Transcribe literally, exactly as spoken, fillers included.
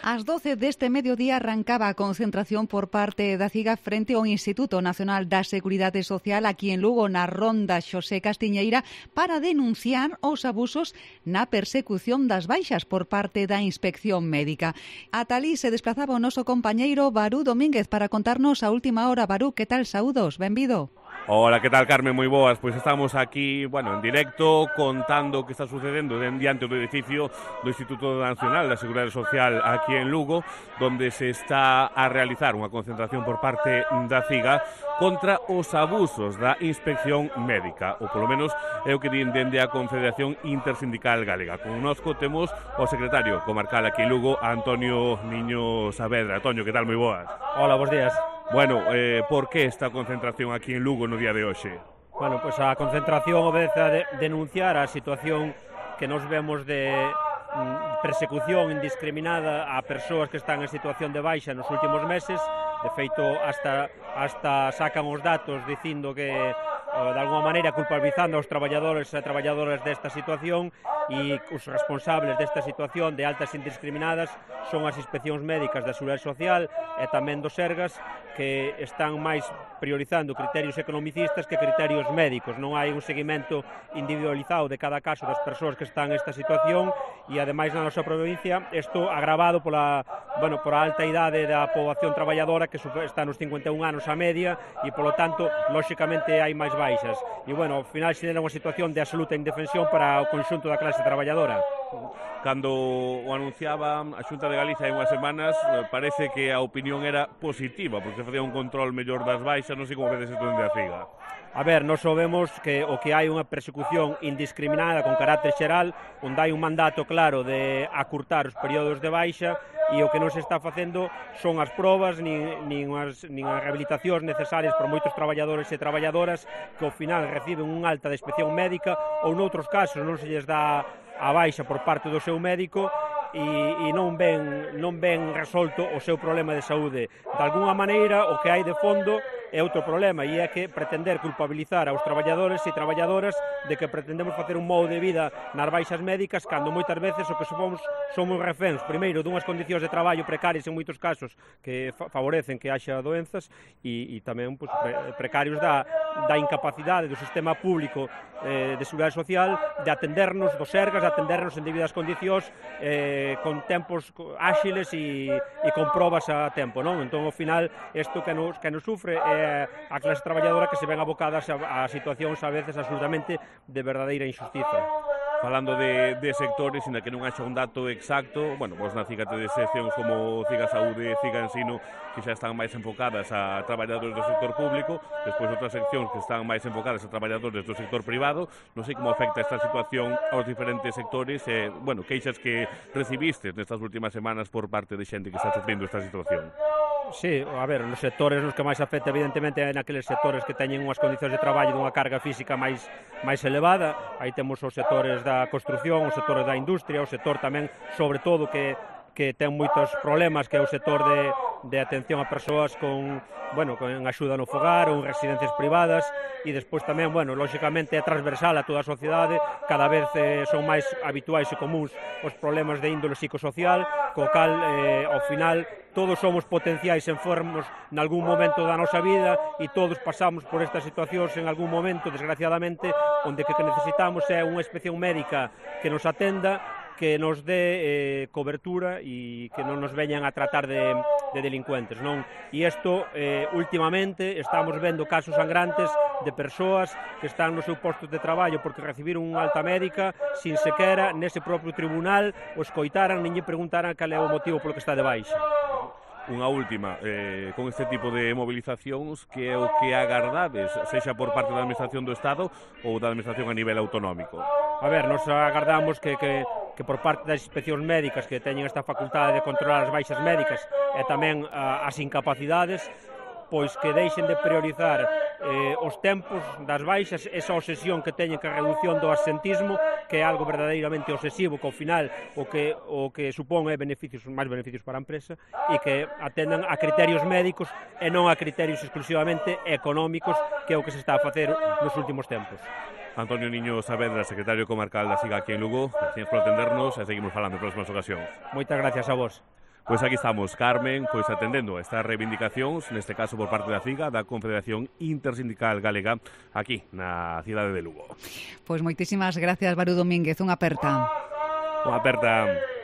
Ás doce deste mediodía arrancaba a concentración por parte da CIGA frente ao Instituto Nacional da Seguridade Social aquí en Lugo, na Ronda Xosé Castiñeira, para denunciar os abusos na persecución das baixas por parte da Inspección Médica. Ata alí se desplazaba o noso compañeiro Barú Domínguez para contarnos a última hora. Barú, que tal? Saúdos, benvido. Hola, que tal, Carmen? Moi boas. Pois estamos aquí, bueno, en directo, contando o que está sucedendo diante do edificio do Instituto Nacional da Seguridade Social aquí en Lugo, donde se está a realizar unha concentración por parte da CIGA contra os abusos da Inspección Médica, ou polo menos é o que din dende a Confederación Intersindical Galega. Connosco temos o secretario comarcal aquí en Lugo, Antonio Niño Saavedra. Antonio, que tal? Moi boas. Hola, bons días. Bueno, eh, por que esta concentración aquí en Lugo no día de hoxe? Bueno, pues a concentración obedece a de denunciar a situación que nos vemos de mm, persecución indiscriminada a persoas que están en situación de baixa nos últimos meses. De feito, hasta, hasta sacan os datos dicindo que de alguma maneira culpabilizando aos traballadores e traballadoras desta situación, e os responsables desta situación de altas indiscriminadas son as inspeccións médicas da Seguridade Social e tamén do Sergas, que están máis priorizando criterios economicistas que criterios médicos. Non hai un seguimento individualizado de cada caso das persoas que están nesta situación, e ademais na nosa provincia isto agravado pola, bueno, por a alta idade da poboación traballadora, que está nos cincuenta e un anos a media, e polo tanto, lóxicamente hai máis baixas. E bueno, ao final xenera unha situación de absoluta indefensión para o conxunto da clase traballadora. Cando o anunciaba a Xunta de Galicia hai unhas semanas, parece que a opinión era positiva, porque se facía un control mellor das baixas. Non sei como vedes isto dende a CIGA. A ver, nós sabemos que o que hai unha persecución indiscriminada con carácter xeral, onde hai un mandato claro de acurtar os períodos de baixa, e o que non se está facendo son as probas nin, nin, as, nin as rehabilitacións necesarias por moitos traballadores e traballadoras que ao final reciben un alta de inspección médica, ou noutros casos non se lles dá a baixa por parte do seu médico e, e non ven, non ven resolto o seu problema de saúde. De alguna maneira, o que hai de fondo é outro problema, e é que pretender culpabilizar aos traballadores e traballadoras de que pretendemos facer un modo de vida nas baixas médicas, cando moitas veces o que somos somos reféns, primeiro, dunhas condicións de traballo precarias en moitos casos que fa favorecen que haxa doenzas, e, e tamén pues, pre precarios da, da incapacidade do sistema público eh, de seguridade social de atendernos dos Sergas, de atendernos en debidas condicións, eh, con tempos áxiles e, e con probas a tempo, non? Entón, ao final, isto que nos, que nos sufre é a clase traballadora que se ven abocadas a, a situacións a veces absolutamente de verdadeira injustiza. Falando de, de sectores, ainda que non haxa un dato exacto, bueno, vos na CIGA tedes seccións como CIGA Saúde e CIGA Ensino que xa están máis enfocadas a traballadores do sector público, despois outras seccións que están máis enfocadas a traballadores do sector privado. Non sei como afecta esta situación aos diferentes sectores e, bueno, queixas que recibistes nestas últimas semanas por parte de xente que está sufrindo esta situación. Sí, a ver, nos sectores nos que máis afecta evidentemente é naqueles sectores que teñen unhas condicións de traballo dunha carga física máis máis elevada. Aí temos os sectores da construción, os sectores da industria, o sector tamén, sobre todo, que que ten moitos problemas, que é o sector de, de atención a persoas con, bueno, con axuda no fogar ou en residencias privadas, e despois tamén, bueno, lóxicamente é transversal a toda a sociedade, cada vez eh, son máis habituais e comuns os problemas de índole psicosocial, co cal, eh, ao final, todos somos potenciais enfermos nalgún momento da nosa vida, e todos pasamos por estas situacións en algún momento, desgraciadamente, onde que necesitamos é unha inspección médica que nos atenda, que nos dé eh, cobertura e que non nos veñan a tratar de, de delincuentes, non? E isto, eh, últimamente, estamos vendo casos sangrantes de persoas que están no seu posto de traballo porque recibiron unha alta médica sin sequera nese propio tribunal o escoitaran, nin lle preguntaran cal é o motivo polo que está de baixa. Unha última, eh, con este tipo de movilizacións, que é o que agardades, sexa por parte da Administración do Estado ou da Administración a nivel autonómico? A ver, nos agardamos que, que, que por parte das inspeccións médicas que teñen esta facultade de controlar as baixas médicas e tamén a, as incapacidades, pois que deixen de priorizar eh, os tempos das baixas, esa obsesión que teñen que a reducción do absentismo, que é algo verdadeiramente obsesivo, que ao final o que, o que supón é beneficios, máis beneficios para a empresa, e que atendan a criterios médicos e non a criterios exclusivamente económicos, que é o que se está a facer nos últimos tempos. Antonio Niño Saavedra, secretario comarcal da SIGA aquí en Lugo, gracias por atendernos e seguimos falando en próximas ocasións. Moitas gracias a vos. Pois aquí estamos, Carmen, pois atendendo estas reivindicacións, neste caso por parte da CIGA, da Confederación Intersindical Galega, aquí na cidade de Lugo. Pois moitísimas gracias, Barú Domínguez, unha aperta. Unha aperta.